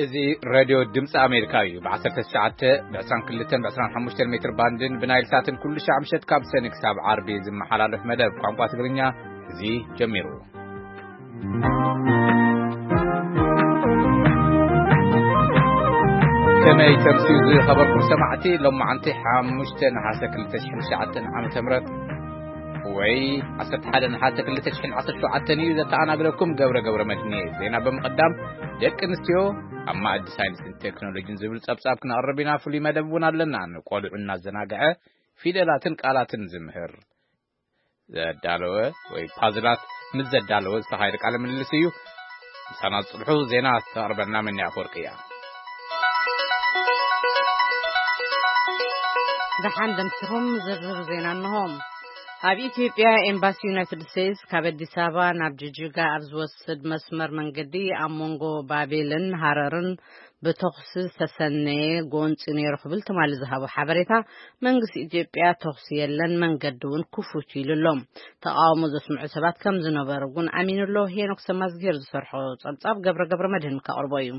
እዚ ሬድዮ ድምፂ ኣሜሪካ እዩ። ብ19፣ ብ22፣ ብ25 ሜትር ባንድን ብናይል ሳትን ኩሉ ሻዕ ምሸት ካብ ሰኒ ክሳብ ዓርቢ ዝመሓላለፍ መደብ ቋንቋ ትግርኛ እዚ ጀሚሩ። ከመይ ተምስዩ ዝኸበርኩም ሰማዕቲ፣ ሎማዓንቲ ሓሙሽተ ነሓሰ ክልተ ሽሕን ትሽዓተን ዓመተ ምህረት ወይ ዓሰርተ ሓደ ነሓሰ ክልተ ሽሕን ዓሰርተ ሸውዓተን እዩ። ዘተኣናግደኩም ገብረ ገብረ መድህን እየ። ዜና ብምቕዳም፣ ደቂ ኣንስትዮ ኣብ ማእዲ ሳይንስን ቴክኖሎጂን ዝብል ጸብጻብ ክነቕርብ ኢና። ፍሉይ መደብ እውን ኣለና። ንቆልዑ እናዘናግዐ ፊደላትን ቃላትን ዝምህር ዘዳለወ ወይ ፓዝላት ምስ ዘዳለወ ዝተኻየደ ቃለ ምልልስ እዩ። ምሳና ዝጽንሑ ዜና ተቕርበልና መኒ ኣፈወርቂ እያ። ደሓን ደምሲኹም ዝርዝር ዜና እንሆ። ኣብ ኢትዮጵያ ኤምባሲ ዩናይትድ ስቴትስ ካብ ኣዲስ ኣበባ ናብ ጅጅጋ ኣብ ዝወስድ መስመር መንገዲ ኣብ መንጎ ባቤልን ሃረርን ብተኹሲ ዝተሰነየ ጎንፂ ነይሩ ክብል ትማሊ ዝሃቦ ሓበሬታ፣ መንግስቲ ኢትዮጵያ ተኹሲ የለን፣ መንገዲ እውን ክፉት ኢሉ ኣሎ። ተቃውሞ ዘስምዑ ሰባት ከም ዝነበሩ እውን ኣሚኑ ኣሎ። ሄኖክ ሰማዝጌር ዝሰርሖ ጸብጻብ ገብረ ገብረ መድህን ከቕርቦ እዩ።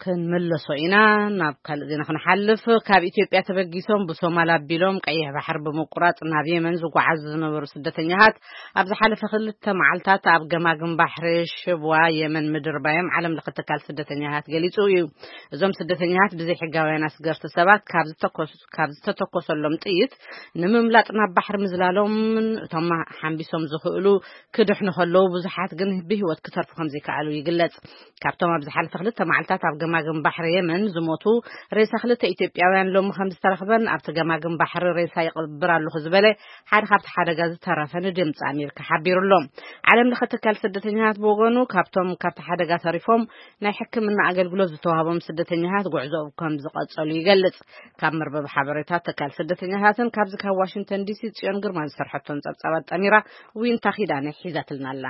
ክንምለሶ ኢና። ናብ ካልእ ዜና ክንሓልፍ። ካብ ኢትዮጵያ ተበጊሶም ብሶማል ኣቢሎም ቀይሕ ባሕሪ ብምቁራጽ ናብ የመን ዝጓዓዙ ዝነበሩ ስደተኛታት ኣብ ዝሓለፈ ክልተ መዓልታት ኣብ ገማግም ባሕሪ ሽብዋ የመን ምድርባዮም ዓለም ለኸ ትካል ስደተኛታት ገሊጹ እዩ። እዞም ስደተኛታት ብዘይ ሕጋውያን ኣስገርቲ ሰባት ካብ ዝተኮሱ ካብ ዝተተኮሰሎም ጥይት ንምምላጥ ናብ ባሕሪ ምዝላሎምን እቶም ሓምቢሶም ዝኽእሉ ክድሕኑ ከለዉ፣ ብዙሓት ግን ብህይወት ክተርፉ ከም ዘይከኣሉ ይግለጽ። ካብቶም ኣብ ዝሓለፈ ክልተ መዓልታት ኣብ ገማግም ባሕሪ የመን ዝሞቱ ሬሳ ክልተ ኢትዮጵያውያን ሎሚ ከም ዝተረኽበን ኣብቲ ገማግም ባሕሪ ሬሳ ይቕብር ኣለኹ ዝበለ ሓደ ካብቲ ሓደጋ ዝተረፈ ንድምፂ ኣሜሪካ ሓቢሩ ኣሎ። ዓለም ለኸ ትካል ስደተኛታት ብወገኑ ካብቶም ካብቲ ሓደጋ ተሪፎም ናይ ሕክምና ኣገልግሎት ዝተዋህቦም ስደተኛታት ጉዕዞ ከም ዝቐጸሉ ይገልጽ። ካብ መርበብ ሓበሬታ ትካል ስደተኛታትን ካብዚ ካብ ዋሽንግተን ዲሲ ጽዮን ግርማ ዝሰርሐቶን ጸብጻባት ጠሚራ ዊንታ ኪዳነ ሒዛትልና ኣላ።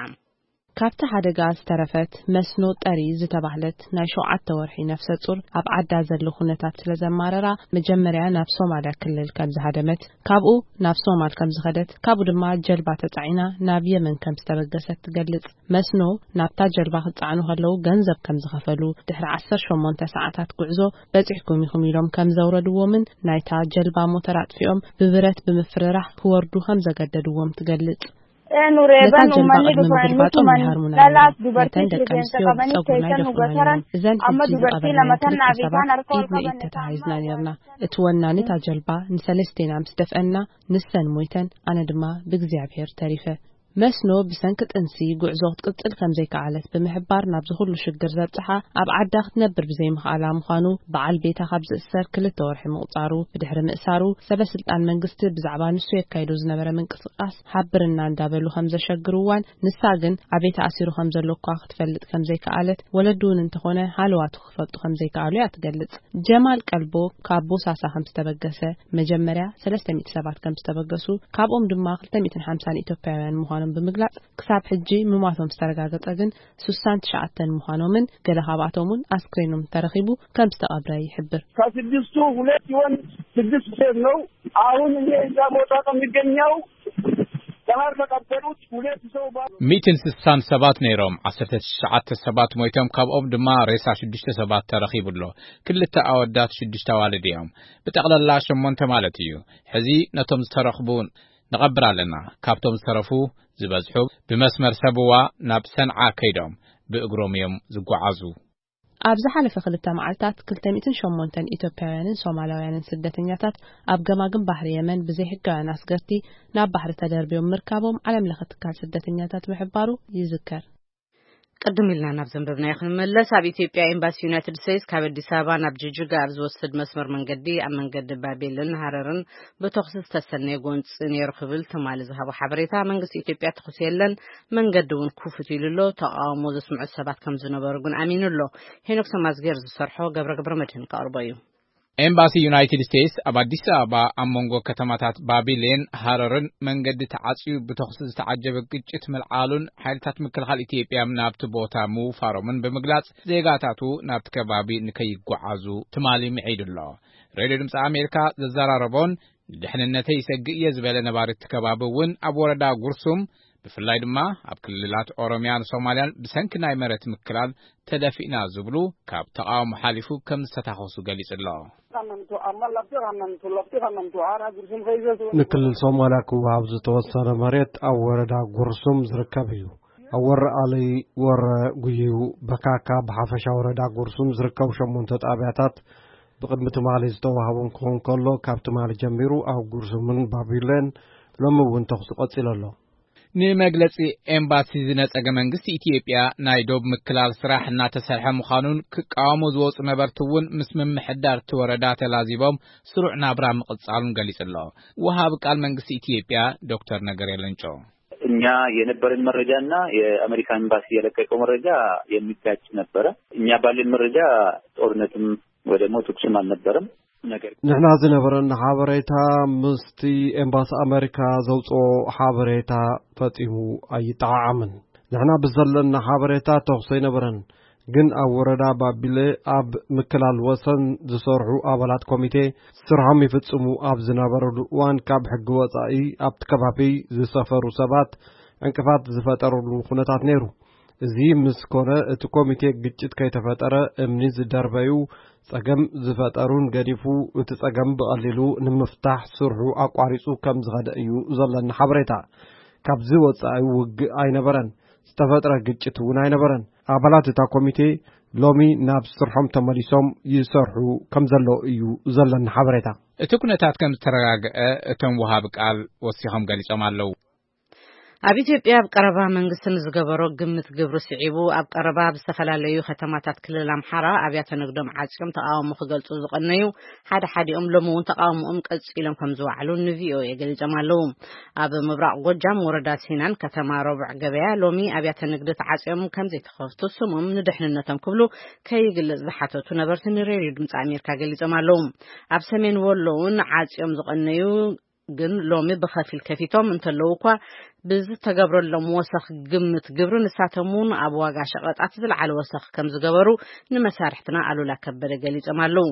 ካብቲ ሓደጋ ዝተረፈት መስኖ ጠሪ ዝተባህለት ናይ ሸውዓተ ወርሒ ነፍሰ ጡር ኣብ ዓዳ ዘሎ ኩነታት ስለ ዘማረራ መጀመርያ ናብ ሶማልያ ክልል ከም ዝሃደመት፣ ካብኡ ናብ ሶማል ከም ዝኸደት፣ ካብኡ ድማ ጀልባ ተጻዒና ናብ የመን ከም ዝተበገሰት ትገልጽ። መስኖ ናብታ ጀልባ ክጸዓኑ ከለዉ ገንዘብ ከም ዝኸፈሉ፣ ድሕሪ ዓሰርተ ሸሞንተ ሰዓታት ጉዕዞ በጺሕኩም ኢኹም ኢሎም ከም ዘውረድዎምን ናይታ ጀልባ ሞተር ኣጥፊኦም ብብረት ብምፍርራሕ ክወርዱ ከም ዘገደድዎም ትገልጽ። Eenu ነታ reeban ጀልባ uummanni ቅድሚ dhufu ምግልባጦም eenyutu ናይ ሃርሙና lalas ነይሩ። Dubartii ነተን ደቂ ኣንስትዮ ብጸጉሪ ናይ ደፍኡና ነይሮም። እዘን ሕጂ ዝቐበርናየን ክልተ ሰባት ኢድ ንኢድ ተታሒዝና ነይርና። እቲ ወናኒ እታ ጀልባ ንሰለስቴና ምስ ደፍአና ንሰን ሞይተን፣ ኣነ ድማ ብእግዚኣብሔር ተሪፈ። መስኖ ብሰንኪ ጥንሲ ጉዕዞ ክትቅጽል ከም ዘይከኣለት ብምሕባር ናብዚ ኩሉ ሽግር ዘብጽሓ ኣብ ዓዳ ክትነብር ብዘይምኽኣላ ምዃኑ በዓል ቤታ ካብ ዝእሰር ክልተ ወርሒ ምቑጻሩ ብድሕሪ ምእሳሩ ሰበ ስልጣን መንግስቲ ብዛዕባ ንሱ የካይዶ ዝነበረ ምንቅስቃስ ሓብርና እንዳበሉ ከም ዘሸግርዋን ንሳ ግን ኣበይ ተኣሲሩ ከም ዘሎ እኳ ክትፈልጥ ከም ዘይከኣለት ወለዱ እውን እንተኾነ ሃለዋቱ ክፈልጡ ከም ዘይከኣሉ እያ ትገልጽ። ጀማል ቀልቦ ካብ ቦሳሳ ከም ዝተበገሰ መጀመርያ ሰለስተ ሚእቲ ሰባት ከም ዝተበገሱ ካብኦም ድማ ክልተ ሚእትን ሓምሳን ኢትዮጵያውያን ምዃኖም ብምግላጽ ክሳብ ሕጂ ምሟቶም ዝተረጋገጸ ግን ስሳን ትሽዓተን ምዃኖምን ገለ ካብኣቶም እውን ኣስክሬኖም ተረኺቡ ከም ዝተቐብረ ይሕብር። ከስድስቱ ሁለት ሲሆን ስድስት ሴት ነው። አሁን እኔ እዛ ቦታ ነው የሚገኘው። ባህር ተቀበሩት ሁለት ሰው ባ- ሚእትን ስሳን ሰባት ነይሮም፣ ዓሰርተ ትሽዓተ ሰባት ሞይቶም፣ ካብኦም ድማ ሬሳ ሽዱሽተ ሰባት ተረኺቡ ኣሎ። ክልተ ኣወዳት ሽዱሽተ ኣዋልድ እዮም። ብጠቕላላ ሸሞንተ ማለት እዩ። ሕዚ ነቶም ዝተረኽቡ ንቐብር ኣለና። ካብቶም ዝተረፉ ዝበዝሑ ብመስመር ሰብዋ ናብ ሰንዓ ከይዶም ብእግሮም እዮም ዝጓዓዙ። ኣብ ዝሓለፈ ክልተ መዓልታት ክልተ ሚእትን ሸሞንተን ኢትዮጵያውያንን ሶማላውያንን ስደተኛታት ኣብ ገማግም ባሕሪ የመን ብዘይሕጋውያን ኣስገርቲ ናብ ባሕሪ ተደርብዮም ምርካቦም ዓለም ለኸ ትካል ስደተኛታት ምሕባሩ ይዝከር። ቅድም ኢልና ናብ ዘንበብናዮ ክንመለስ። ኣብ ኢትዮጵያ ኤምባሲ ዩናይትድ ስቴትስ ካብ ኣዲስ ኣበባ ናብ ጅጅጋ ኣብ ዝወስድ መስመር መንገዲ ኣብ መንገዲ ባቤልን ሃረርን ብተኹሲ ዝተሰነየ ጎንፂ ነይሩ ክብል ትማሊ ዝሃቦ ሓበሬታ፣ መንግስቲ ኢትዮጵያ ተኹሲ የለን፣ መንገዲ እውን ክፉት ኢሉ ኣሎ። ተቃውሞ ዘስምዑ ሰባት ከም ዝነበሩ ግን ኣሚኑ ኣሎ። ሄኖክ ሰማዝጌር ዝሰርሖ ገብረ ገብረ መድህን ከቕርቦ እዩ። ኤምባሲ ዩናይትድ ስቴትስ ኣብ ኣዲስ ኣበባ ኣብ መንጎ ከተማታት ባቢሌን ሃረርን መንገዲ ተዓጽዩ ብተኹሲ ዝተዓጀበ ግጭት ምልዓሉን ሓይልታት ምክልኻል ኢትዮጵያ ናብቲ ቦታ ምውፋሮምን ብምግላጽ፣ ዜጋታቱ ናብቲ ከባቢ ንከይጓዓዙ ትማሊ ምዒዱ ኣሎ። ሬድዮ ድምፂ ኣሜሪካ ዘዘራረቦን ንድሕንነተይ ይሰግእ እየ ዝበለ ነባሪ እቲ ከባቢ እውን ኣብ ወረዳ ጉርሱም፣ ብፍላይ ድማ ኣብ ክልላት ኦሮሚያን ሶማልያን ብሰንኪ ናይ መሬት ምክላል ተደፊእና ዝብሉ ካብ ተቓውሞ ሓሊፉ ከም ዝተታኸሱ ገሊጹ ኣሎ። ንክልል ሶማልያ ክወሃብ ዝተወሰነ መሬት ኣብ ወረዳ ጉርሱም ዝርከብ እዩ። ኣብ ወረ ኣሊ፣ ወረ ጉዩ፣ በካካ፣ ብሓፈሻ ወረዳ ጉርሱም ዝርከቡ ሸሞንተ ጣብያታት ብቕድሚ ትማሊ ዝተዋህቦም ክኸውን ከሎ፣ ካብ ትማሊ ጀሚሩ ኣብ ጉርሱምን ባቢሌን ሎሚ እውን ተኹሲ ቀጺሉ ኣሎ። ንመግለጺ ኤምባሲ ዝነጸገ መንግስቲ ኢትዮጵያ፣ ናይ ዶብ ምክላል ስራሕ እናተሰርሐ ምዃኑን ክቃወሙ ዝወጹ ነበርቲ እውን ምስ ምምሕዳር እቲ ወረዳ ተላዚቦም ስሩዕ ናብራ ምቕጻሉን ገሊጹ ኣሎ። ወሃቢ ቃል መንግስቲ ኢትዮጵያ ዶክተር ነገሪ ሌንጮ። እኛ የነበረን መረጃና የአሜሪካ ኤምባሲ የለቀቀው መረጃ የሚጋጭ ነበረ። እኛ ባለን መረጃ ጦርነትም ወይ ደግሞ ተኩስም አልነበረም። ነገር ንሕና ዝነበረና ሓበሬታ ምስቲ ኤምባሲ ኣሜሪካ ዘውፅኦ ሓበሬታ ፈፂሙ ኣይጠዓዓምን። ንሕና ብዘለና ሓበሬታ ተኹሲ ኣይነበረን፣ ግን ኣብ ወረዳ ባቢለ ኣብ ምክላል ወሰን ዝሰርሑ ኣባላት ኮሚቴ ስርሖም ይፍፅሙ ኣብ ዝነበረሉ እዋን ካብ ሕጊ ወፃኢ ኣብቲ ከባቢ ዝሰፈሩ ሰባት ዕንቅፋት ዝፈጠረሉ ኩነታት ነይሩ። እዚ ምስ ኮነ እቲ ኮሚቴ ግጭት ከይተፈጠረ እምኒ ዝደርበዩ ጸገም ዝፈጠሩን ገዲፉ እቲ ጸገም ብቐሊሉ ንምፍታሕ ስርሑ ኣቋሪጹ ከም ዝኸደ እዩ ዘለና ሓበሬታ። ካብዚ ወጻኢ ውግእ ኣይነበረን፣ ዝተፈጥረ ግጭት እውን ኣይነበረን። ኣባላት እታ ኮሚቴ ሎሚ ናብ ስርሖም ተመሊሶም ይሰርሑ ከም ዘለዉ እዩ ዘለና ሓበሬታ። እቲ ኩነታት ከም ዝተረጋግአ እቶም ወሃቢ ቃል ወሲኾም ገሊጾም ኣለዉ። ኣብ ኢትዮጵያ ኣብ ቀረባ መንግስቲ ንዝገበሮ ግምት ግብሪ ስዒቡ ኣብ ቀረባ ኣብ ዝተፈላለዩ ከተማታት ክልል ኣምሓራ ኣብያተ ንግዶም ዓጽዮም ተቃውሞ ክገልጹ ዝቐነዩ ሓደ ሓዲኦም ሎሚ እውን ተቃውሞኦም ቀጺሎም ከም ዝወዓሉ ንቪኦኤ ገሊጾም ኣለዉ። ኣብ ምብራቕ ጎጃም ወረዳ ሲናን ከተማ ረቡዕ ገበያ ሎሚ ኣብያተ ንግዲ ተዓጽዮም ከም ዘይተኸፍቱ ስሞም ንድሕንነቶም ክብሉ ከይግለጽ ዝሓተቱ ነበርቲ ንሬድዮ ድምፂ ኣሜሪካ ገሊጾም ኣለዉ። ኣብ ሰሜን ወሎ እውን ዓጽዮም ዝቐነዩ ግን ሎሚ ብኸፊል ከፊቶም እንተለዉ እኳ ብዝተገብረሎም ወሰኽ ግምት ግብሪ ንሳቶም እውን ኣብ ዋጋ ሸቐጣት ዝለዓለ ወሰኽ ከም ዝገበሩ ንመሳርሕትና ኣሉላ ከበደ ገሊጾም ኣለዉ።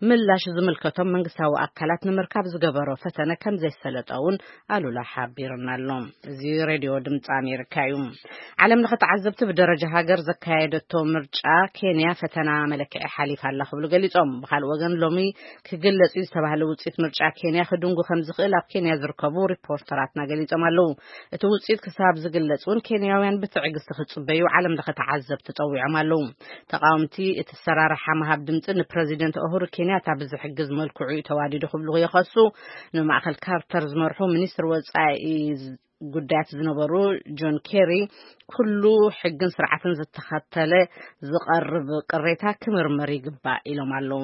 ምላሽ ዝምልከቶም መንግስታዊ ኣካላት ንምርካብ ዝገበሮ ፈተነ ከም ዘይሰለጠ እውን ኣሉላ ሓቢርና ኣሎ። እዚ ሬድዮ ድምፂ ኣሜሪካ እዩ። ዓለም ለኸ ተዓዘብቲ ብደረጃ ሃገር ዘካየደቶ ምርጫ ኬንያ ፈተና መለክዒ ሓሊፋ ኣላ ክብሉ ገሊጾም። ብኻልእ ወገን ሎሚ ክግለጽ እዩ ዝተባህለ ውጽኢት ምርጫ ኬንያ ክድንጉ ከም ዝኽእል ኣብ ኬንያ ዝርከቡ ሪፖርተራትና ገሊጾም ኣለዉ። እቲ ውጽኢት ክሳብ ዝግለጽ እውን ኬንያውያን ብትዕግስቲ ክጽበዩ ዓለም ለኸ ተዓዘብቲ ጸዊዖም ኣለዉ። ተቃወምቲ እቲ ሰራርሓ ምሃብ ድምጺ ንፕረዚደንት ኡሁሩ ኬንያታ ብዝሕግዝ መልክዑ እዩ ተዋዲዱ ክብሉ ይኸሱ። ንማእከል ካርተር ዝመርሑ ሚኒስትር ወጻኢ ጉዳያት ዝነበሩ ጆን ኬሪ፣ ኩሉ ሕግን ስርዓትን ዝተኸተለ ዝቐርብ ቅሬታ ክምርመር ይግባእ ኢሎም ኣለዉ።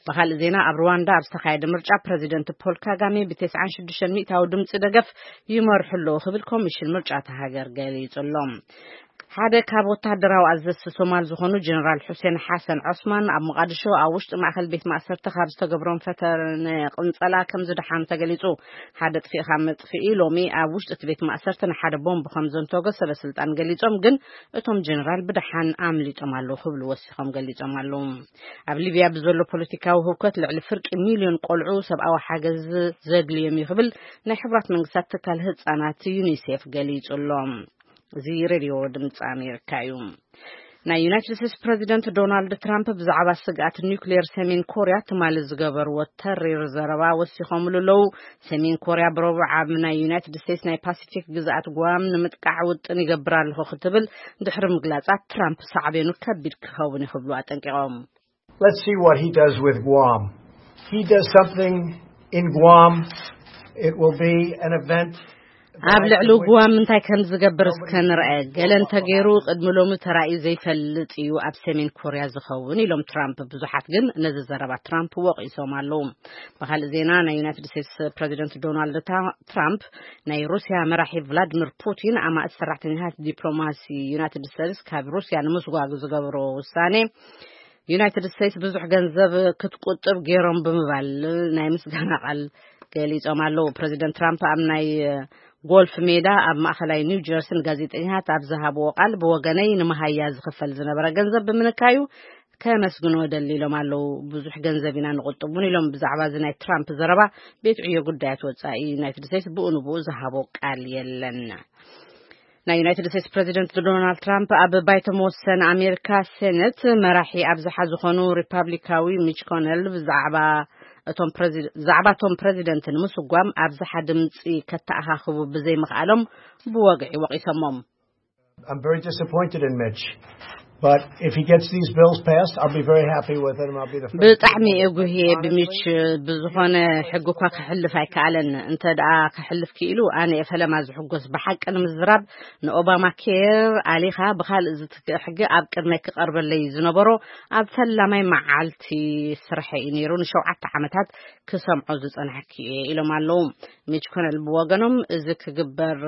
ብኻልእ ዜና፣ ኣብ ሩዋንዳ ኣብ ዝተኻየደ ምርጫ ፕረዚደንት ፖል ካጋሜ ብ ተስዓን ሽዱሽተን ሚእታዊ ድምፂ ደገፍ ይመርሑ ኣለዉ ክብል ኮሚሽን ምርጫ እታ ሃገር ገሊጹ ኣሎ። ሓደ ካብ ወታደራዊ ኣዘዝቲ ሶማል ዝኾኑ ጀነራል ሑሴን ሓሰን ዖስማን ኣብ ሞቓድሾ ኣብ ውሽጢ ማእከል ቤት ማእሰርቲ ካብ ዝተገብሮም ፈተነ ቅንጸላ ከም ዝደሓኑ ተገሊጹ። ሓደ ጥፊእኻ መጥፍኢ ሎሚ ኣብ ውሽጢ እቲ ቤት ማእሰርቲ ንሓደ ቦምብ ከም ዘንተጎ ሰበ ስልጣን ገሊጾም፣ ግን እቶም ጀነራል ብደሓን ኣምሊጦም ኣለዉ ክብሉ ወሲኾም ገሊጾም ኣለዉ። ኣብ ሊብያ ብዘሎ ፖለቲካዊ ህውከት ልዕሊ ፍርቂ ሚልዮን ቆልዑ ሰብኣዊ ሓገዝ ዘድልዮም እዩ ክብል ናይ ሕቡራት መንግስታት ትካል ህጻናት ዩኒሴፍ ገሊጹ ኣሎ። እዚ ሬድዮ ድምፂ ኣሜሪካ እዩ። ናይ ዩናይትድ ስቴትስ ፕረዚደንት ዶናልድ ትራምፕ ብዛዕባ ስግኣት ኒውክሌር ሰሜን ኮርያ ትማሊ ዝገበርዎ ተሪር ዘረባ ወሲኾምሉ ኣለዉ። ሰሜን ኮርያ ብረቡዕ ኣብ ናይ ዩናይትድ ስቴትስ ናይ ፓሲፊክ ግዝኣት ጓም ንምጥቃዕ ውጥን ይገብር ኣለኹ ክትብል ድሕሪ ምግላጻ፣ ትራምፕ ሳዕቤኑ ከቢድ ክኸውን እዩ ክብሉ ኣጠንቂቖም። Let's see what he does with Guam. He does something in Guam, it will be an event that ኣብ I ልዕሊ can't wait. ጉዋም እንታይ ከም ዝገብር እስከ ንርአ። ገለ እንተገይሩ ቅድሚ ሎሚ ተራእዩ ዘይፈልጥ እዩ ኣብ ሰሜን ኮርያ ዝኸውን ኢሎም ትራምፕ። ብዙሓት ግን ነዚ ዘረባ ትራምፕ ወቒሶም ኣለዉ። ብኻልእ ዜና፣ ናይ ዩናይትድ ስቴትስ ፕረዚደንት ዶናልድ ታ- ትራምፕ ናይ ሩስያ መራሒ ቭላድሚር ፑቲን ኣማእት ሰራሕተኛታት ዲፕሎማሲ ዩናይትድ ስቴትስ ካብ ሩስያ ንምስጓግ ዝገብሮ ውሳኔ ዩናይትድ ስቴትስ ብዙሕ ገንዘብ ክትቁጥብ ገይሮም ብምባል ናይ ምስጋና ቃል ገሊጾም ኣለዉ። ፕረዚደንት ትራምፕ ኣብ ናይ ጎልፍ ሜዳ ኣብ ማእከላይ ኒው ጀርሲ ንጋዜጠኛታት ኣብ ዝሃብዎ ቃል፣ ብወገነይ ንመሃያ ዝኽፈል ዝነበረ ገንዘብ ብምንካዩ ከመስግኖ ደሊ ኢሎም ኣለዉ። ብዙሕ ገንዘብ ኢና ንቁጥብ እውን ኢሎም። ብዛዕባ እዚ ናይ ትራምፕ ዘረባ ቤት ዕዮ ጉዳያት ወጻኢ ዩናይትድ ስቴትስ ብኡ ንብኡ ዝሃቦ ቃል የለን። ናይ ዩናይትድ ስቴትስ ፕረዚደንት ዶናልድ ትራምፕ ኣብ ባይቶ መወሰን ኣሜሪካ ሴኔት መራሒ ኣብዝሓ ዝኾኑ ሪፓብሊካዊ ሚች ኮነል ብዛዕባ እቶም ፕረዚ-፣ ዛዕባ እቶም ፕረዚደንት ንምስጓም ኣብዝሓ ድምፂ ከተኣኻኽቡ ብዘይምኽኣሎም ብወግዒ ወቒሶሞም። I'm very disappointed in Mitch, but if he gets these bills passed, I'll be very happy with it, and I'll be the first ብጣዕሚ እየ ጉህየ ብሚች። ብዝኾነ ሕጊ እኳ ክሕልፍ ኣይከኣለን። እንተ ደኣ ክሕልፍ ክኢሉ፣ ኣነ እየ ፈለማ ዝሕጎስ። ብሓቂ ንምዝራብ፣ ንኦባማ ኬር ኣሊኻ ብኻልእ ዝትክእ ሕጊ ኣብ ቅድመይ ክቐርበለይ ዝነበሮ ኣብ ፈላማይ መዓልቲ ስርሐ እዩ ነይሩ። ንሸውዓተ ዓመታት ክሰምዖ ዝጸናሕኩ እየ ኢሎም ኣለዉ። ሚች ኮነል ብወገኖም፣ እዚ ክግበር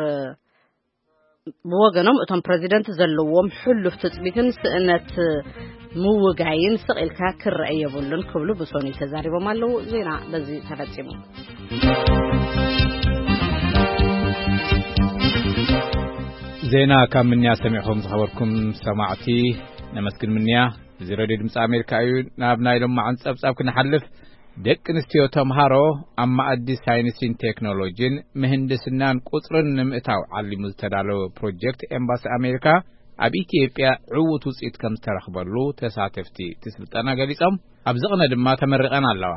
ብወገኖም፣ እቶም ፕረዚደንት ዘለዎም ሕሉፍ ትጽቢትን ስእነት ምውጋይን ስቕ ኢልካ ክረአ የብሉን ክብሉ ብሶኒ ተዛሪቦም ኣለዉ። ዜና በዚ ተፈጺሙ። ዜና ካብ ምንያ ሰሚዕኹም ዝኸበርኩም ሰማዕቲ ነመስግን። ምንያ፣ እዚ ሬድዮ ድምፂ ኣሜሪካ እዩ። ናብ ናይ ሎማዓንቲ ጸብጻብ ክንሓልፍ፣ ደቂ ኣንስትዮ ተምሃሮ ኣብ መኣዲ ሳይንስን ቴክኖሎጂን ምህንድስናን ቁጽርን ንምእታው ዓሊሙ ዝተዳለወ ፕሮጀክት ኤምባሲ ኣሜሪካ ኣብ ኢትዮጵያ ዕዉት ውፅኢት ከም ዝተረኽበሉ ተሳተፍቲ እቲ ስልጠና ገሊጾም። ኣብ ዝቕነ ድማ ተመሪቐን ኣለዋ።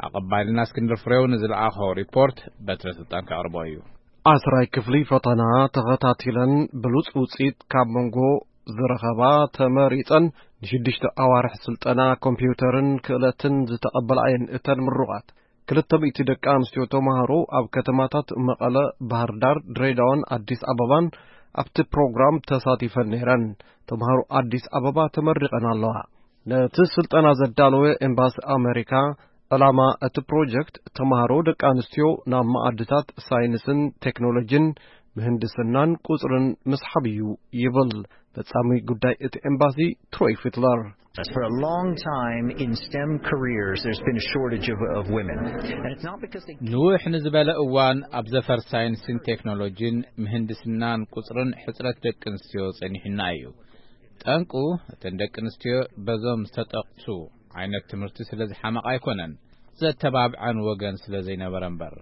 ኣቐባልና እስክንድር ፍሬው ንዝለኣኾ ሪፖርት በትረ ስልጣን ከቕርቦ እዩ። ዓስራይ ክፍሊ ፈተና ተኸታቲለን ብሉጽ ውጽኢት ካብ መንጎ ዝረኸባ ተመሪጸን፣ ንሽዱሽተ ኣዋርሕ ስልጠና ኮምፒውተርን ክእለትን ዝተቐበላ እየን። እተን ምሩቓት ክልተ ሚእቲ ደቂ ኣንስትዮ ተማሃሮ ኣብ ከተማታት መቐለ፣ ባህር ዳር፣ ድሬዳዋን ኣዲስ ኣበባን ኣብቲ ፕሮግራም ተሳቲፈን ነይረን። ተማሃሮ ኣዲስ ኣበባ ተመሪቐን ኣለዋ። ነቲ ስልጠና ዘዳለወ ኤምባሲ ኣመሪካ፣ ዕላማ እቲ ፕሮጀክት ተማሃሮ ደቂ ኣንስትዮ ናብ መኣድታት ሳይንስን ቴክኖሎጂን ምህንድስናን ቁጽርን ምስሓብ እዩ ይብል ፈጻሚ ጉዳይ እቲ ኤምባሲ ትሮይ ፊትለር። For a long time in STEM careers, there's been a shortage of, of women. And it's not because they ንውሕ ንዝበለ እዋን ኣብ ዘፈር ሳይንስን ቴክኖሎጂን ምህንድስናን ቁጽርን ሕጽረት ደቂ ኣንስትዮ ጸኒሑና እዩ። ጠንቁ፣ እተን ደቂ ኣንስትዮ በዞም ዝተጠቕሱ ዓይነት ትምህርቲ ስለ ዝሓመቓ ኣይኮነን፣ ዘተባብዐን ወገን ስለ ዘይነበረ እምበር።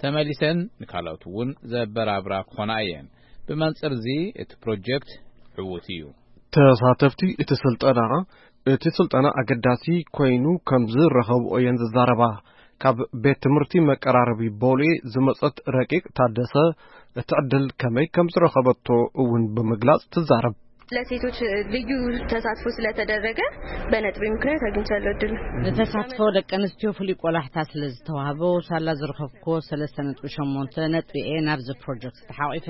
ተመሊሰን ንካልኦት እውን ዘበራብራ ክኾና እየን። ብመንጽር እዚ እቲ ፕሮጀክት ዕዉት እዩ። ተሳተፍቲ እቲ ስልጠና፣ እቲ ስልጠና ኣገዳሲ ኮይኑ ከም ዝረኸብኦ እየን ዝዛረባ። ካብ ቤት ትምህርቲ መቀራረቢ ቦሌ ዝመጸት ረቂቕ ታደሰ፣ እቲ ዕድል ከመይ ከም ዝረኸበቶ እውን ብምግላጽ ትዛረብ። ለሴቶች ልዩ ተሳትፎ ስለተደረገ በነጥቤ ምክንያት አግኝቻለሁ እድል። ንተሳትፎ ደቂ ኣንስትዮ ፍሉይ ቆላሕታ ስለ ዝተዋህቦ፣ ሳላ ዝረኸብክዎ ሰለስተ ነጥቢ ሸሞንተ ነጥቢ እየ ናብዚ ፕሮጀክት ተሓቒፈ።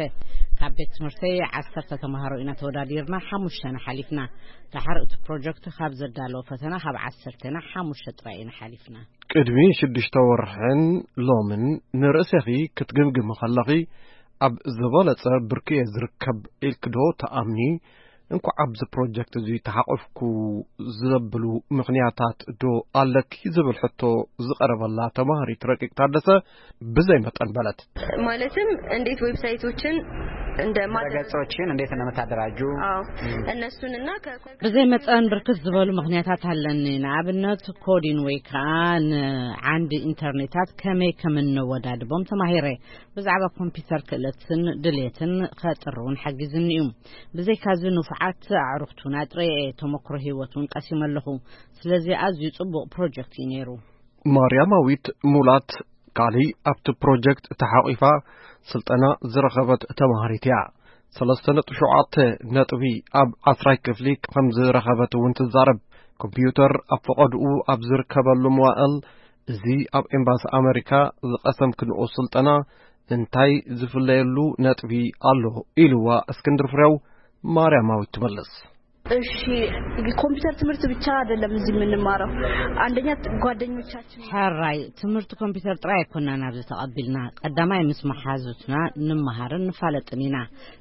ካብ ቤት ትምህርተይ ዓሰርተ ተምሃሮ ኢና ተወዳዲርና፣ ሓሙሽተና ሓሊፍና። ደሓር እቲ ፕሮጀክት ካብ ዘዳለዎ ፈተና ካብ ዓሰርተና ሓሙሽተ ጥራይ ኢና ሓሊፍና። ቅድሚ ሽዱሽተ ወርሕን ሎምን ንርእሰኺ ክትግምግሚ ከለኺ፣ ኣብ ዝበለጸ ብርኪ እየ ዝርከብ ኢልኪ ዶ ትኣምኒ? እንኳዕ ኣብዚ ፕሮጀክት እዚ ተሓቆፍኩ ዘብሉ ምኽንያታት ዶ ኣለኪ? ዝብል ሕቶ ዝቐረበላ ተማሃሪት ረቂቕ ታደሰ ብዘይ መጠን በለት። ማለትም እንዴት ዌብሳይቶችን እንደ ማደራ- ገጾችን እንዴት እንደምታደራጁ? አዎ፣ እነሱንና ከ- ብዘይ መጠን ብርክት ዝበሉ ምኽንያታት ኣለኒ። ንኣብነት ኮዲን ወይ ከዓ ንዓንዲ ኢንተርኔታት ከመይ ከም እነወዳድቦም ተማሂረ። ብዛዕባ ኮምፒውተር ክእለትን ድሌትን ከጥር እውን ሓጊዝኒ እዩ። ብዘይካዚ ንፉዓት ኣዕሩኽቲ እውን ኣጥረየ እየ። ተመክሮ ህይወት እውን ቀሲመ ኣለኹ። ስለዚ ኣዝዩ ጽቡቕ ፕሮጀክት እዩ ነይሩ። ማርያማዊት ሙላት ካሊእ ኣብቲ ፕሮጀክት ተሓቒፋ ስልጠና ዝረኸበት ተማሃሪት እያ። ሰለስተ ነጥቢ ሸውዓተ ነጥቢ ኣብ ዓስራይ ክፍሊ ከም ዝረኸበት እውን ትዛረብ። ኮምፒውተር ኣብ ፈቐድኡ ኣብ ዝርከበሉ መዋእል፣ እዚ ኣብ ኤምባሲ ኣመሪካ ዝቐሰምክንኦ ስልጠና እንታይ ዝፍለየሉ ነጥቢ ኣሎ? ኢልዋ እስክንድር ፍሬው። ማርያማዊት ትመልስ። እሺ፣ ኮምፒውተር ትምህርት ብቻ አይደለም እዚህ የምንማረው። አንደኛ ጓደኞቻችን ሕራይ ትምህርቲ ኮምፒውተር ጥራይ ኣይኮናን ኣብዚ ተቐቢልና። ቀዳማይ ምስ መሓዙትና ንመሃርን ንፋለጥን ኢና።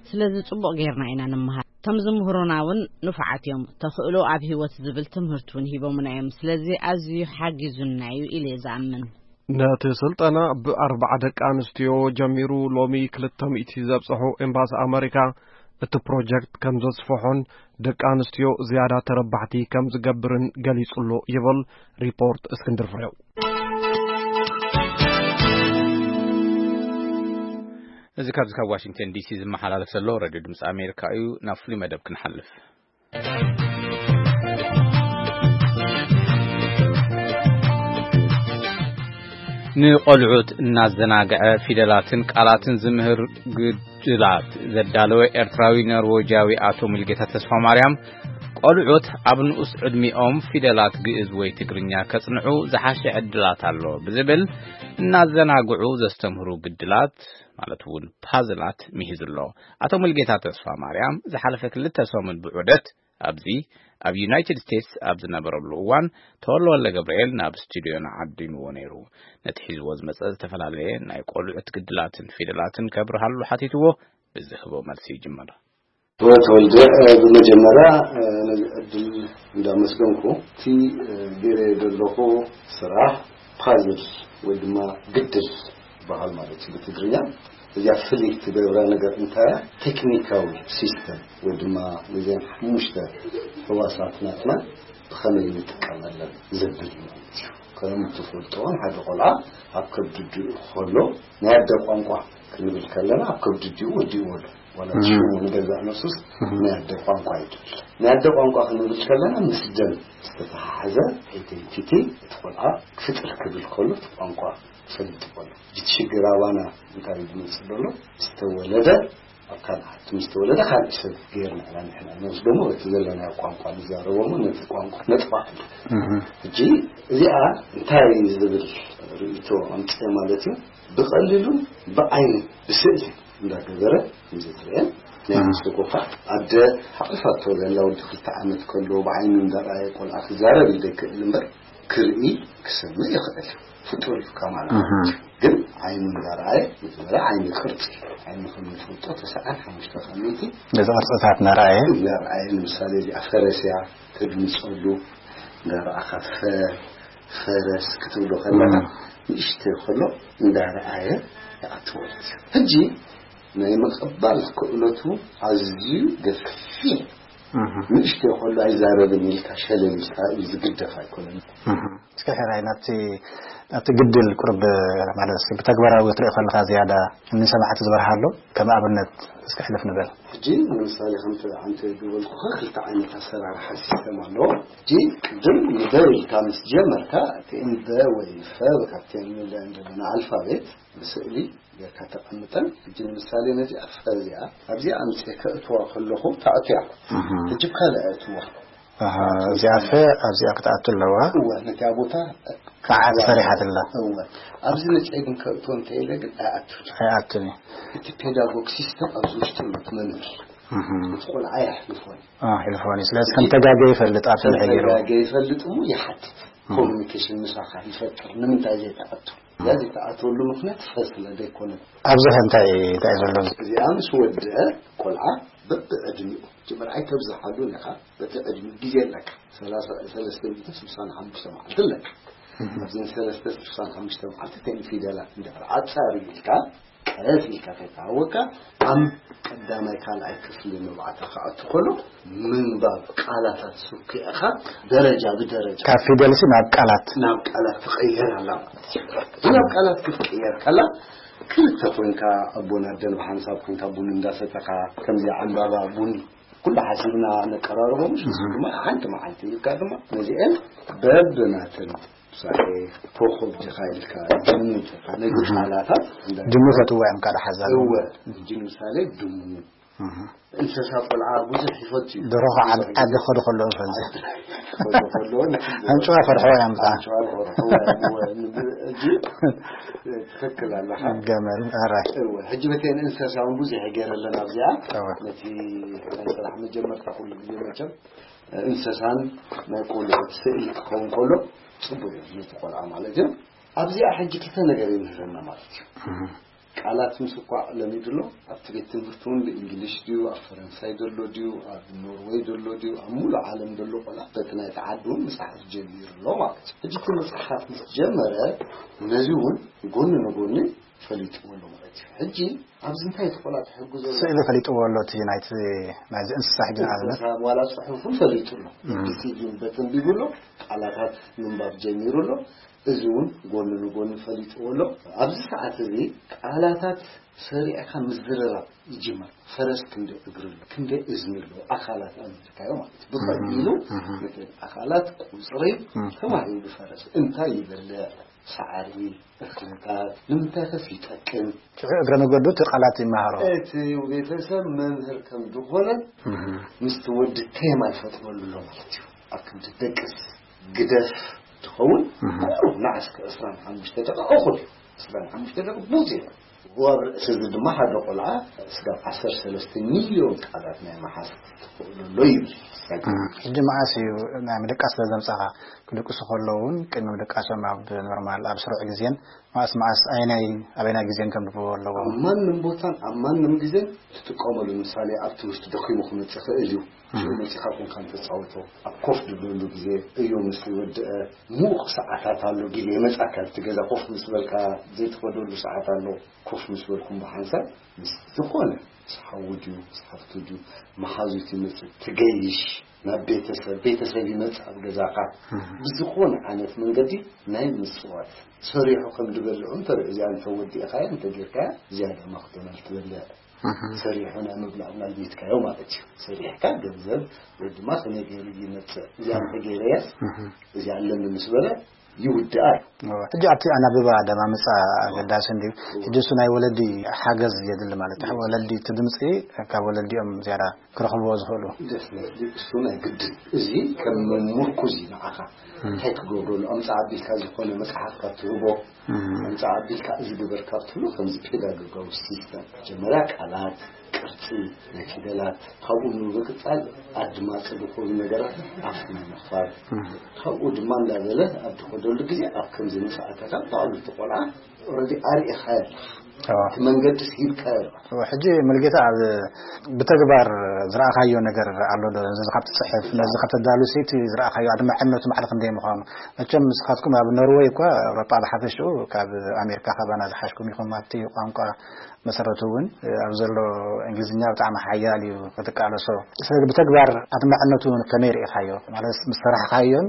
ስለዚ ጽቡቕ ጌርና ኢና ንመሃር። እቶም ዝምህሩና እውን ንፉዓት እዮም። ተኽእሎ ኣብ ህይወት ዝብል ትምህርቲ እውን ሂቦምና እዮም። ስለዚ ኣዝዩ ሓጊዙና እዩ ኢለ እየ ዝኣምን። ነቲ ስልጠና ብኣርባዓ ደቂ ኣንስትዮ ጀሚሩ ሎሚ ክልተ ሚእቲ ዘብጽሑ ኤምባሲ ኣመሪካ እቲ ፕሮጀክት ከም ዘስፍሖን ደቂ ኣንስትዮ ዝያዳ ተረባሕቲ ከም ዝገብርን ገሊጹ ኣሎ ይብል ሪፖርት እስክንድር ፍሬው። እዚ ካብዚ ካብ ዋሽንግተን ዲሲ ዝመሓላለፍ ዘሎ ሬድዮ ድምፂ ኣሜሪካ እዩ። ናብ ፍሉይ መደብ ክንሓልፍ። ንቆልዑት እናዘናግዐ ፊደላትን ቃላትን ዝምህር ግድላት ዘዳለወ ኤርትራዊ ኖርዌጃዊ ኣቶ ሙልጌታ ተስፋ ማርያም፣ ቆልዑት ኣብ ንኡስ ዕድሚኦም ፊደላት ግእዝ ወይ ትግርኛ ከጽንዑ ዝሓሸ ዕድላት ኣሎ ብዝብል እናዘናግዑ ዘስተምህሩ ግድላት ማለት እውን ፓዝላት ሚሂዙ ኣሎ። ኣቶ ሙልጌታ ተስፋ ማርያም ዝሓለፈ ክልተ ሰሙን ብዑደት ኣብዚ ኣብ ዩናይትድ ስቴትስ ኣብ ዝነበረሉ እዋን ተወልደ ወልደ ገብርኤል ናብ ስቱድዮና ዓዲምዎ ነይሩ። ነቲ ሒዝዎ ዝመጸ ዝተፈላለየ ናይ ቆልዑት ግድላትን ፊደላትን ከብርሃሉ ሓቲትዎ ብዝህቦ መልሲ ይጅምር። ተወልደ፣ ብመጀመርያ ነዚ ዕድል እንዳመስገንኩ፣ እቲ ገይረ ዘለኹ ስራሕ ፓዝል ወይ ድማ ግድል ዝበሃል ማለት እዩ ብትግርኛ። እዚኣ ፍልይ ትገብራ ነገር እንታይ እያ? ቴክኒካዊ ሲስተም ወይ ድማ ነዚን ሓሙሽተ ህዋሳት ናትና ብኸመይ ንጥቀመለን ዘብል እዩ ማለት እዩ። ከም ትፈልጦ ሓደ ቆልዓ ኣብ ከብዲ ኣዲኡ ከሎ ናይ ኣደ ቋንቋ ክንብል ከለና ኣብ ከብዲ ኣዲኡ ወዲእዎ ኣሎ። ዋላ ሽሙ ንገዛእ ነፍሱስ ናይ ኣደ ቋንቋ ይብል። ናይ ኣደ ቋንቋ ክንብል ከለና ምስ ደም ዝተተሓሓዘ ኣይደንቲቲ እቲ ቆልዓ ክፍጥር ክብል ከሎ እቲ ቋንቋ ክፈልጥ ከሎ እቲ ሽግር ኣባና እንታይ እዩ ዝመፅእ ዘሎ? ዝተወለደ ኣብ ካልእ ዓዲ ምስ ተወለደ ካልእ ሰብ ገይርና ኢና ንሕና ንወስዶ እሞ በቲ ዘለናዮ ቋንቋ ንዛረቦ እሞ ነቲ ቋንቋ ነጥፋ። ሕጂ እዚኣ እንታይ ዝብል ርእይቶ ኣምፅአ ማለት እዩ? ብቐሊሉ ብዓይኒ ብስእሊ እንዳገበረ ከምዚ ትርእየን ናይ ኣንስቶ ኮፋ ኣደ ሓቒፋቶ ዘላ ወዲ ክልተ ዓመት ከሎ ብዓይኑ እንዳረኣየ ቆልዓ ክዛረብ ይደክእል እምበር ክርኢ ክሰምዕ ይኽእል እዩ። ፍጡር እዩ ከማና። ግን ዓይኑ እንዳረኣየ መጀመርያ ዓይኒ ቅርፂ ዓይኑ ከም ንፈልጦ ተስዓን ሓሙሽተ ከሚቲ ነዚ ቅርፅታት እናረኣየ እናረኣየ ንምሳሌ እዚኣ ፈረስ እያ ተድምፀሉ እንዳረኣኻ ፈ ፈረስ ክትብሎ ከለካ ንእሽተይ ከሎ እንዳረኣየ ይኣትወለት ሕጂ ናይ ምቕባል ክእለቱ ኣዝዩ ገፊሕ ንእሽተይ ከሎ ኣይዛረብን ኢልካ ሸለል ኢልካ እዩ ዝግደፍ ኣይኮነን። እስከ ሕራይ ናብቲ ናብቲ ግድል ቁርብ ማለት እስኪ ብተግባራዊ ክትሪኦ ከለካ ዝያዳ እኒ ሰማዕቲ ዝበርሃ ኣሎ ከም ኣብነት እስኪ ሕልፍ ንበል። ሕጂ ንምሳሌ ከምቲ ዓንተ ዝበልኩኻ ክልተ ዓይነት ኣሰራርሓ ሲስተም ኣለዎ። ሕጂ ቅድም ንበ ኢልካ ምስ ጀመርካ እቲ እንበ ወይ ፈ ካብቲ ንብለ እንደለና ኣልፋቤት ብስእሊ ጌርካ ተቐምጠን። ሕጂ ንምሳሌ ነዚኣ ፈ እዚኣ ኣብዚኣ ኣምፅኤ ከእትዋ ከለኹ ተኣትያ። ሕጂ ብካልእ ኣእትዋ። ኣሃ፣ እዚኣ ፈ ኣብዚኣ ክትኣቱ ኣለዋ። እወ፣ ነቲኣ ቦታ መዓት ሰሪሓትላ። እወ፣ ኣብዚ ነፂኤ ግን ከእትዎ እንተኢለ ግን ኣይኣቱን። ኣይኣቱን እዩ። እቲ ፔዳጎግ ሲስተም ኣብዚ ውሽጢ እዩ እቲ መምህር። እቲ ቆልዓ የሕልፎን። ኣሕልፎን እዩ። ስለዚ ከም ተጋገ ይፈልጥ ኣብ ስልሒ ገይሩ። ተጋገ ይፈልጥ እሞ ይሓትት። ኮሚኒኬሽን ምሳኻ ይፈጥር። ንምንታይ ዘይተኣቱ? ያ ዘይተኣተወሉ ምኽንያት ፈ ስለ ዘይኮነ። ኣብዚ ኸ እንታይ እንታይ ዘሎ? እዚኣ ምስ ወድአ ቆልዓ በብዕድሚኡ ጅምር ኣይተብዝሓሉን ኢኻ። በቲ ዕድሚ ግዜ ኣለካ። ሰለስተ ሚእትን ስሳን ሓሙሽተ መዓልቲ ኣለካ። ኣብዘን ሰለስተ ስሳን ሓሙሽተ መዓልቲ ተን ፊደላት እንድሕር ኣጻሪ ኢልካ ቀስ ኢልካ ከይተሃወካ ኣብ ቀዳማይ ካልኣይ ክፍሊ ንባዕታ ክኣቱ ከሎ ምንባብ ቃላታት ስኩዕኻ ደረጃ ብደረጃ ካብ ፊደልሲ ናብ ቃላት ናብ ቃላት ትቐየር ኣላ ማለት እዩ። እዚ ናብ ቃላት ክትቀየር ከላ ክልተ ኮንካ ኣቦን ኣደን ብሓንሳብ ኮንካ ቡን እንዳሰተኻ ከምዚ ዓምባባ ቡን ኩሉ ሓሲብና ነቀራርቦ ምሽ ምስ ድማ ሓንቲ መዓልቲ ኢልካ ድማ ነዚአን በብናተን ምሳሌ ኮኾብ ዲኻ ኢልካ ድሙ ዲኻ ነዚ ቃላታት እንዳ- ድሙ ፈትዋ እዮም ካልእ ሓዛብ እወ ሕጂ ንምሳሌ ድሙ እንስሳ ቆልዓ ብዙሕ ይፈቱ እዩ። ደርሆ ከዓ ዓዲ ከዱ ከለዉ ይፈልጡ። ከዱ ከለዉ ንሕጂ ኣንጭዋ ፈርሕዋ እዮም ከዓ። ኣንጭዋ ፈርሕዋ እዮም። እወ፣ ንብ- ሕጂ ትኽክል ኣለኻ። ገመል ኣራይ። እወ፣ ሕጂ በተን እንስሳ እውን ብዙሕ ይገይረለን ኣብዚኣ። እወ። ነቲ ናይ ስራሕ መጀመርታ ኩሉ ግዜ መቸም እንስሳን ናይ ቆልዑት ስእሊ ክኸውን ከሎ ፅቡቅ እዩ ነቲ ቆልዓ ማለት እዩ። ኣብዚኣ ሕጂ ክልተ ነገር ይምህረና ማለት እዩ። ቃላት ምስ እኳ ለሚዱ ኣሎ። ኣብቲ ቤት ትምህርቲ እውን ብእንግሊሽ ድዩ፣ ኣብ ፈረንሳይ ዘሎ ድዩ፣ ኣብ ኖርወይ ዘሎ ድዩ፣ ኣብ ሙሉእ ዓለም ዘሎ ቆልዓ በቲ ናይቲ ዓዲ እውን ምፅሓፍ ጀሚሩ ኣሎ ማለት እዩ። ሕጂ እቲ ምፅሓፍ ምስ ጀመረ ነዚ እውን ጎኒ ንጎኒ ፈሊጥዎ ኣሎ ማለት እዩ። ሕጂ ኣብዚ እንታይ እቲ ቆልዓ ተሕጉዞ ኣሎ? ስእሊ ፈሊጥዎ ኣሎ፣ እቲ ናይቲ፣ ናይዚ እንስሳ ሕጂ ንኣብነት። እንስሳ ዋላ ጽሑፉ ፈሊጡ ኣሎ። ቢቢሲ ግን በተንቢቡ ኣሎ፣ ቃላታት ምንባብ ጀሚሩ ኣሎ። እዚ እውን ጎኒ ንጎኒ ፈሊጥዎ ኣሎ። ኣብዚ ሰዓት እዚ ቃላታት ሰሪዕካ ምዝርራብ ይጅመር። ፈረስ ክንደ እግሪ ኣሎ፣ ክንደ እዝኒ ኣሎ፣ ኣካላት ኣመልካዮ ማለት እዩ። ብቐሊሉ እህ፣ እህ። ነተን ኣካላት ቁጽሪ እህ። ተማሂሩ ፈረስ እንታይ ይበልዕ፣ ሳዕሪ፣ እኽልታት፣ ንምንታይ ከስ ይጠቅም? ሽዑ እግረ መገዱ እቲ ቃላት ይመሃሮ። እቲ ቤተሰብ መምህር ከም ዝኾነ እህ። ምስቲ ወዲ ቴማ ይፈጥረሉ ኣሎ ማለት እዩ። ኣብ ክንዲ ደቅስ ግደፍ ትኸውን እህ። ቁሩብ ንዓስከ ዕስራን ሓሙሽተ ደቂቕ እኹል እዩ። ዕስራን ሓሙሽተ ደቂቕ ብዙ እዩ። ኣብ ርእሲ እዚ ድማ ሓደ ቆልዓ ስጋብ ዓሰርተ ሰለስተ ሚልዮን ቃላት ናይ መሓዝ ትኽእሉ ኣሎ ይብል። እህ። ሕጂ መዓስ እዩ ናይ ምድቃስ ስለ ዘምጻኻ? ክድቅሱ ከለውን ቅድሚ ምድቃሶም ኣብ ኖርማል ኣብ ስሩዕ ግዜን መዓስ መዓስ ኣየናይ ኣበይናይ ግዜን ከንብብዎ ኣለዎም? ኣብ ማንም ቦታን ኣብ ማንም ግዜን ትጥቀመሉ። ምሳሌ ኣብ ትምህርቲ ደኺሙ ክመጽእ ይኽእል እዩ። ሽዑ መጺኻ ኮንካ እንተጻወቶ ኣብ ኮፍ ድብለሉ ግዜ እዩ ምስ ወድአ ምዉቕ ሰዓታት ኣሎ። ግዜ መጻካ ኣብቲ ገዛ ኮፍ ምስ በልካ ዘይትኸደሉ ሰዓት ኣሎ። ኮፍ ምስ በልኩም ብሓንሳብ ምስ ዝኾነ ምስ ሓዉ ድዩ ምስ ሓፍቱ ድዩ መሓዙት ይመጽእ ትገይሽ ናብ ቤተሰብ፣ ቤተሰብ ይመጽእ ኣብ ገዛኻ። እህ። ብዝኾነ ዓይነት መንገዲ ናይ ምጽዋት ሰሪሑ ከም ዝበልዑ እንተ እዚኣ እንተ ወዲእኻያ እንተ ጌርካያ ዝያዳ ማክዶናል ትበልዕ። እህ። ሰሪሑ ናይ ምብላዕ ምናል ቤትካዮ ማለት እዩ። ሰሪሕካ ገንዘብ ወይ ድማ ከመይ ገይሩ ይመጽእ እዚኣ እንተ ገይረያስ እህ። እዚኣ ኣለኒ ምስ በለ ይውድኣ እዩ። እወ። ሕጂ ኣብቲ ኣናብባ ኣደማምጻ ኣገዳሲ እንድዩ። ሕጂ እሱ ናይ ወለዲ ሓገዝ የድሊ ማለት እዩ። ወለዲ እቲ ድምጺ ካብ ወለዲኦም ዝያዳ ክረኽብዎ ዝኽእሉ። ደፍነትሊ እሱ ናይ ግድን። እዚ ከም ምርኩዝ እዩ ንዓኻ። እም። እንታይ ክገብረሉ? ኣምጻ ኣቢልካ ዝኾነ መጽሓፍ ካብ ትህቦ፣ እም። ኣምጻ ኣቢልካ እዚ ግበር ካብ ትብሎ፣ ከምዚ ፔዳጎጋዊ ሲስተም። መጀመርያ ቃላት፣ ቅርጺ ናይ ፊደላት፣ ካብኡ ብምቕጻል ኣድማጺ ዝኾኑ ነገራት ኣፍ ናይ ምኽፋት። እም። ካብኡ ድማ እንዳበለ ኣብ ትኸደሉ ግዜ ኣብ ከምዚ ምስ ኣተኻ ባዕሉ እቲ ቆልዓ ኦረዲ ኣርኢኻ ኣለኻ። እዋ። እቲ መንገዲ ስሂብካ ኣለኻ። እዋ፣ ሕጂ ሙሉጌታ ኣብ ብተግባር ዝረኣኻዮ ነገር ኣሎ ዶ? ነዚ ካብ ትጽሕፍ፣ ነዚ ካብ ተዳሉ ሲ እቲ ዝረኣኻዮ ኣድማዕነቱ ማዕረ ክንደይ ምዃኑ? መቸም ንስኻትኩም ኣብ ኖርወይ እኳ ኣውሮጳ ብሓፈሽኡ ካብ ኣሜሪካ ካባና ዝሓሽኩም ኢኹም ኣብቲ ቋንቋ መሰረቱ እውን ኣብ ዘሎ እንግሊዝኛ ብጣዕሚ ሓያል እዩ ክትቃለሶ። ስለዚ ብተግባር ኣድማዕነቱ ከመይ ርኢኻዮ? ማለት ምስ ሰራሕካዮን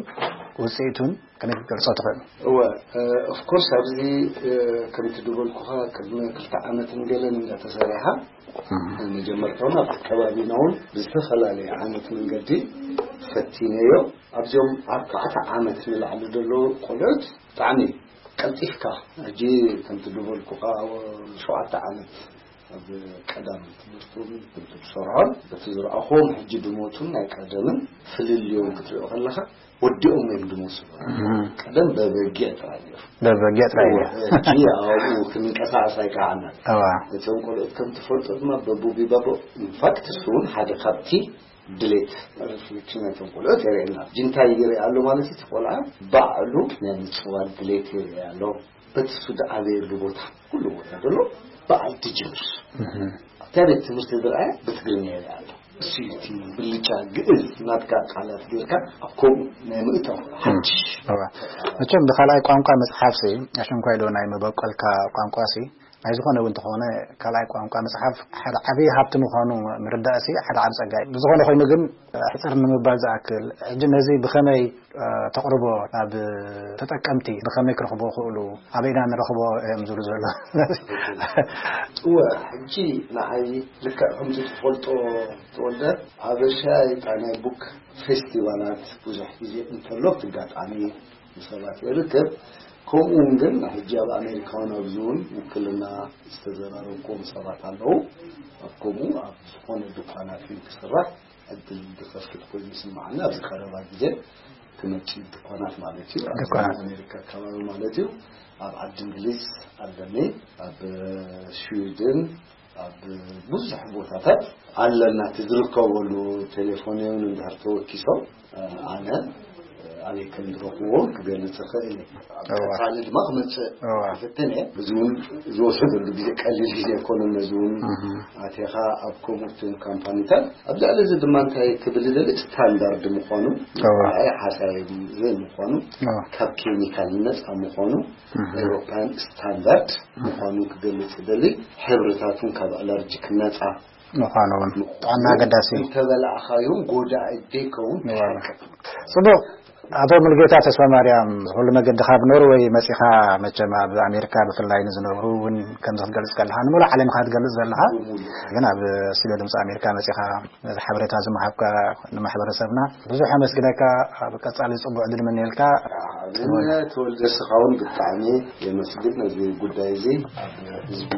ውፅኢቱን ከመይ ክትገልጾ ትኽእል? እወ፣ ኦፍ ኮርስ ኣብዚ እ፣ ከምቲ ዝበልኩኻ ቅድሚ ክልተ ዓመትን ገለን እንዳተሰሪሓ እም። መጀመርታውን ኣብ ከባቢና እውን ብዝተፈላለየ ዓይነት መንገዲ ፈቲነዮ። ኣብዚኦም ኣርባዕተ ዓመት ንላዕሊ ዘለዉ ቆልዑት ብጣዕሚ ቀልጢፍካ ሕጂ ከምቲ ዝበልኩኻ ሸውዓተ ዓመት ኣብ ቀዳም ትምህርቱን ከምቲ ዝሰርሖን በቲ ዝረኣኹዎም ሕጂ ድሞቱን ናይ ቀደምን ፍልልዮም ክትሪኦ ከለኻ ወዲኦም እዮም ድሞሱ። እም። ቀደም በበጊዕ ጥራይ ነይሩ። በበጊዕ ጥራይ እዩ። ሕጂ ኣብኡ ክንንቀሳቐስ ኣይከኣልናን። እዋ። እቶም ቆልዑት ከም ትፈልጦ ድማ በቡቢ ባቦ ኢንፋክት እሱ እውን ሓደ ካብቲ ድሌት ሪፍሌክሽን ናይቶም ቆልዑት የርእየና። ሕጂ እንታይ ይርኢ ኣሎ ማለት እዩ? እቲ ቆልዓ ባዕሉ ናይ ምፅዋት ድሌት የርኢ ኣሎ። በቲ እሱ ዝዓበየሉ ቦታ ኩሉ ቦታ ዘሎ በዓል ድጅምር እህ። ኣብታ ቤት ትምህርቲ ዝረኣየ ብትግርኛ ይርኢ ኣሎ። እሱ እዩ እቲ ብልጫ ግእዝ ናትካ ቃላት ጌርካ ኣብ ከምኡ ናይ ምእታው ሓድሽ። እዋ። መቸም ብካልኣይ ቋንቋ መፅሓፍሲ ኣሸንኳይ ዶ ናይ መበቆልካ ቋንቋሲ ናይ ዝኾነ እውን እንተኾነ ካልኣይ ቋንቋ መፅሓፍ ሓደ ዓብዪ ሃብቲ ምዃኑ ምርዳእሲ ሓደ ዓብ ፀጋ እዩ። ብዝኾነ ኮይኑ ግን ሕፅር ንምባል ዝኣክል ሕጂ ነዚ ብኸመይ እ፣ ተቕርቦ ናብ ተጠቀምቲ ብኸመይ ክረኽቦ ክእሉ ኣበይና ንረኽቦ እዮም ዝብሉ ዘሎ። እወ፣ ሕጂ ንዓይ ልክዕ ከምዚ ትፈልጦ ተወልደ ኣበሻ ይጣ ናይ ቡክ ፌስቲቫላት ብዙሕ ግዜ እንተሎ ብትጋጣሚ ንሰባት የርክብ። ከምኡ እውን ግን ሕጂ ኣብ ኣሜሪካ እውን ኣብዚ እውን ውክልና ዝተዘራረብኩም ሰባት ኣለዉ። ኣብ ከምኡ ኣብ ዝኾነ ድኳናት እውን ክስራሕ ዕድል ዝኸፍት ኮይኑ ይስምዓኒ። ኣብዚ ቀረባ ግዜ ክመጽእ ድኳናት ማለት እዩ። ኣብ ድኳናት። ኣሜሪካ ኣካባቢ ማለት እዩ። ኣብ ዓዲ እንግሊዝ ኣለኒ፣ ኣብ ስዊድን፣ ኣብ ብዙሕ ቦታታት ኣለና። እቲ ዝርከበሉ ቴሌፎን እውን እንድሕር ተወኪሶም ኣነ ኣበይ ከም ዝረኽብዎ ክገልጽ እኽእል እየ። ኣብ እዋ። ቀጻሊ ድማ ክመጽእ እዋ። ክፍትን እየ። እዚ እውን ዝወሰደሉ ግዜ ቀሊል ግዜ ኣይኮነን። ነዚ እውን እህ። ኣቴኻ ኣብ ከምኡትን ካምፓኒታት ኣብ ልዕሊ እዚ ድማ እንታይ ክብል ይደሊ፣ ስታንዳርድ ምዃኑ፣ እዋ። ኣይ ሓሳይ ዘይምዃኑ፣ እዋ። ካብ ኬሚካል ነጻ ምዃኑ፣ እህ። ኤውሮፓን ስታንዳርድ ምዃኑ ክገልጽ ይደሊ። ሕብርታቱን ካብ ኣለርጂክ ነጻ ምዃኑ እውን ጥዕና ኣገዳሲ እዩ። እንተበላዕኻዮም ጎዳኢ ዘይከውን እዋ። ትሓቅቕ። ጽቡቕ። ኣቶ ሙሉጌታ ተስፋ ማርያም፣ ኩሉ መገዲ ካብ ኖርወይ መጺኻ፣ መቸም ኣብ ኣሜሪካ ብፍላይ ንዝነብሩ እውን ከምዚ ክትገልጽ ከለኻ፣ ንምሉእ ዓለም ኢኻ ትገልጽ ዘለኻ፣ ብምሉእ። ግን ኣብ ስቱድዮ ድምጺ ኣሜሪካ መጺኻ ነዚ ሓበሬታ ዝመሃብካ ንማሕበረሰብና ብዙሕ ኣመስግነካ። ኣብ ቀጻሊ ጽቡቕ ዕድል ምንየልካ። ኣነ ተወልደ ስኻውን ብጣዕሚ የመስግን ነዚ ጉዳይ እዚ ኣብ ህዝቢ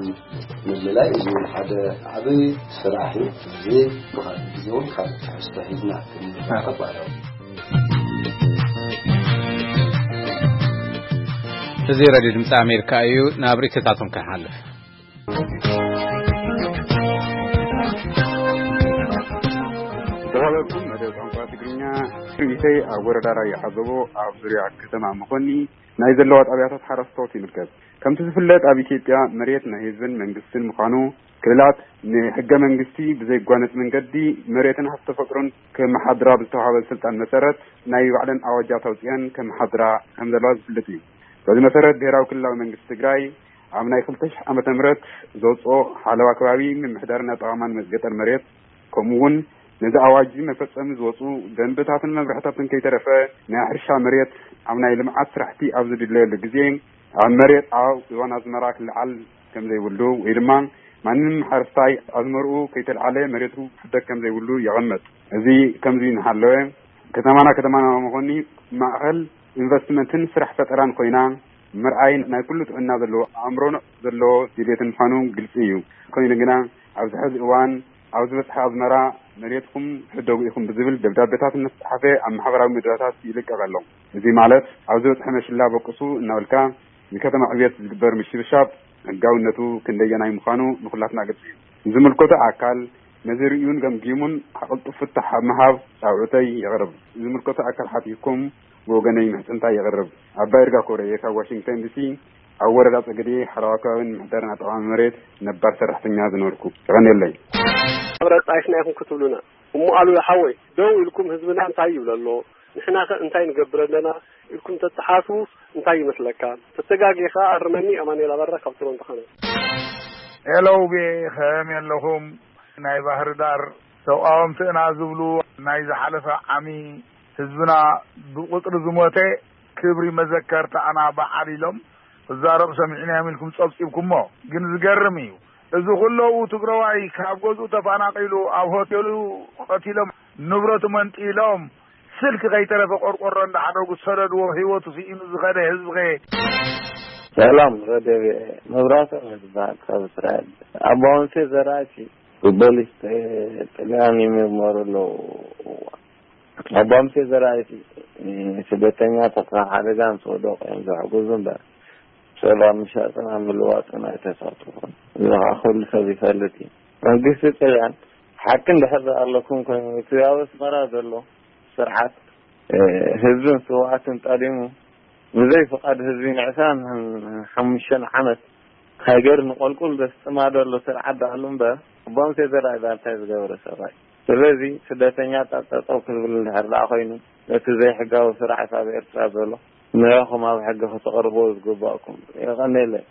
ምልላይ። እዚ ሓደ ዓብይ ስራሕ እዩ። እዚ ብኻልእ ግዜ እውን ካልእ ትሕዝቶ ሒዝና ክንመጣ ባዕላዊ። እዚ ሬድዮ ድምፂ ኣሜሪካ እዩ። ናብ ርእይቶታቶም ክንሓልፍ። ዝሃበኩም መደብ ቋንቋ ትግርኛ ርእይተይ ኣብ ወረዳ ራያ ዓዘቦ ኣብ ዙርያ ከተማ መኾኒ ናይ ዘለዋ ጣብያታት ሓረስቶት ይምልከት። ከምቲ ዝፍለጥ ኣብ ኢትዮጵያ መሬት ናይ ህዝብን መንግስትን ምዃኑ፣ ክልላት ንሕገ መንግስቲ ብዘይጓነጽ መንገዲ መሬትን ሃብቲ ተፈጥሮን ከመሓድራ ብዝተዋሃበ ስልጣን መሰረት ናይ ባዕለን ኣዋጃት ኣውጺአን ከመሓድራ ከም ዘለዋ ዝፍለጥ እዩ። በዚ መሰረት ብሄራዊ ክልላዊ መንግስቲ ትግራይ ኣብ ናይ ክልተ ሽሕ ዓመተ ምህረት ዘውፅኦ ሓለዋ ከባቢ ምምሕዳርን ኣጠቓቕማን ገጠር መሬት ከምኡ እውን ነዚ ኣዋጅ መፈጸሚ ዝወፁ ደንብታትን መምርሕታትን ከይተረፈ ናይ ሕርሻ መሬት ኣብ ናይ ልምዓት ስራሕቲ ኣብ ዝድለየሉ ግዜ ኣብ መሬት ኣብ እዋን ኣዝመራ ክልዓል ከም ዘይብሉ ወይ ድማ ማንም ሓረስታይ ኣዝመርኡ ከይተልዓለ መሬቱ ክሕደግ ከም ዘይብሉ የቐምጥ። እዚ ከምዚ እናሃለወ ከተማና ከተማና መኾኒ ማእኸል ኢንቨስትመንትን ስራሕ ፈጠራን ኮይና ምርኣይ ናይ ኩሉ ጥዕና ዘለዎ ኣእምሮ ዘለዎ ድሌትን ምዃኑ ግልፂ እዩ። ኮይኑ ግና ኣብዚ ሕዚ እዋን ኣብ ዝበፅሐ ኣዝመራ መሬትኩም ሕደጉ ኢኹም ብዝብል ደብዳቤታት እናተፅሓፈ ኣብ ማሕበራዊ ሚድያታት ይልቀቕ ኣሎ። እዚ ማለት ኣብ ዝበፅሐ መሽላ በቁሱ እናበልካ ንከተማ ዕብየት ዝግበር ምሽብሻብ ሕጋውነቱ ክንደየናይ ምዃኑ ንኹላትና ግልፂ እዩ። ዝምልከቶ ኣካል ነዚ ርእዩን ገምጊሙን ኣቐልጡፍ ፍታሕ ኣብ ምሃብ ፃውዕተይ የቕርብ። ዝምልከቶ ኣካል ሓቲትኩም ብወገነይ ምሕፅንታ የቕርብ። ኣባ ይርጋ ኮረየ ካብ ዋሽንግተን ዲሲ ኣብ ወረዳ ጸገዴ ሓለዋ ከባቢ ንምሕዳርን ኣጠቓቕማ መሬት ነባር ሰራሕተኛ ዝነበርኩ። የቐንየለይ። ኣብ ረጻይፍና ኢኹም ክትብሉና። እሞ ኣሉላ ሓወይ፣ ደው ኢልኩም ህዝብና እንታይ ይብል ኣሎ? ንሕናኸ እንታይ ንገብር ኣለና? ኢልኩም ተተሓስቡ እንታይ ይመስለካ? ተተጋጊኻ ኣርመኒ። ኣማኑኤል ኣበራ ካብ ቶሮንቶ ካናዳ። ሄሎ ውቤ፣ ከመይ ኣለኹም? ናይ ባህር ዳር ተቃወምቲ ኢና ዝብሉ ናይ ዝሓለፈ ዓሚ ህዝብና ብቁጽሪ ዝሞተ ክብሪ መዘከርታና በዓል ኢሎም ክዛረብ ሰሚዕናዮም ኢልኩም ጸብጺብኩሞ። ግን ዝገርም እዩ። እዚ ኩለዉ ትግረዋይ ካብ ገዝኡ ተፈናቒሉ ኣብ ሆቴሉ ቀቲሎም ንብረቱ መንጢሎም ስልኪ ከይተረፈ ቆርቆሮ እንዳሓደጉ ዝሰደድዎ ህይወቱ ስኢኑ ዝኸደ ህዝብኸ? ሰላም ረደቤ መብራህቶም ዝበሃል ካብ እስራኤል ኣባውንሴ ዘራእቲ ብፖሊስ ጥልያን ይምርመሩ ኣለዉ። ኣባ ሙሴ ዘርኣይ ስደተኛታት ካብ ሓደጋ ምስ ወደቑ እዮም ዘሕግዙ እምበር፣ ሰብኣዊ ምሻጥን ኣብ ምልዋጥን ኣይተሳተፉን። እዚ ኸዓ ኩሉ ሰብ ይፈልጥ እዩ። መንግስቲ ጥልያን ሓቂ እንድሕር ኣለኩም ኮይኑ፣ እቲ ኣብ ኣስመራ ዘሎ ስርዓት፣ እ፣ ህዝብን ስውኣትን ጠሊሙ፣ ብዘይ ፍቓድ ህዝቢ ንዕስራን ሓሙሽተን ዓመት ሃገር ንቆልቁል ዘስጥማ ዘሎ ስርዓት ደኣሉ እምበር፣ ኣባ ሙሴ ዘርኣይ እንታይ ዝገበረ ሰብኣይ። ስለዚ ስደተኛታት ጠጠው ክብል እንድሕር ደኣ ኮይኑ፣ ነቲ ዘይሕጋዊ ስርዓት ኣብ ኤርትራ ዘሎ ንዕኹም ኣብ ሕጊ ከተቕርብዎ ዝግባእኩም። የቐንየለይ።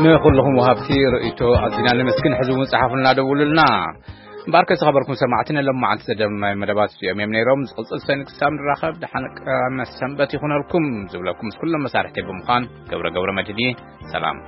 ንኹልኹም ወሃብቲ ርእይቶ ኣዚና ነመስግን። ሕዚ እውን ጸሓፉልና፣ ደውሉልና። እምበኣርከ ዝተኸበርኩም ሰማዕቲ፣ ንሎማዓንቲ ዘዳለናዮም መደባት እዚኦም እዮም ነይሮም። ዝቕጽል ሰኒ ክሳብ ንራኸብ፣ ደሓን ቀዳመ ሰንበት ይኹነልኩም ዝብለኩም ምስ ኩሎም መሳርሕተይ ብምዃን ገብረ ገብረ መድህን እየ። ሰላም።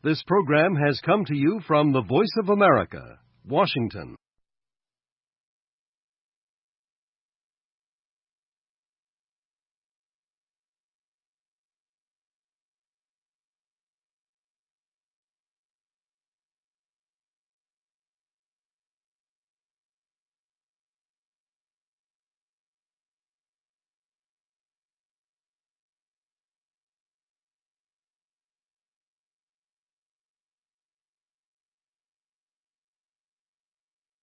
This program has come to you from the Voice of America, Washington.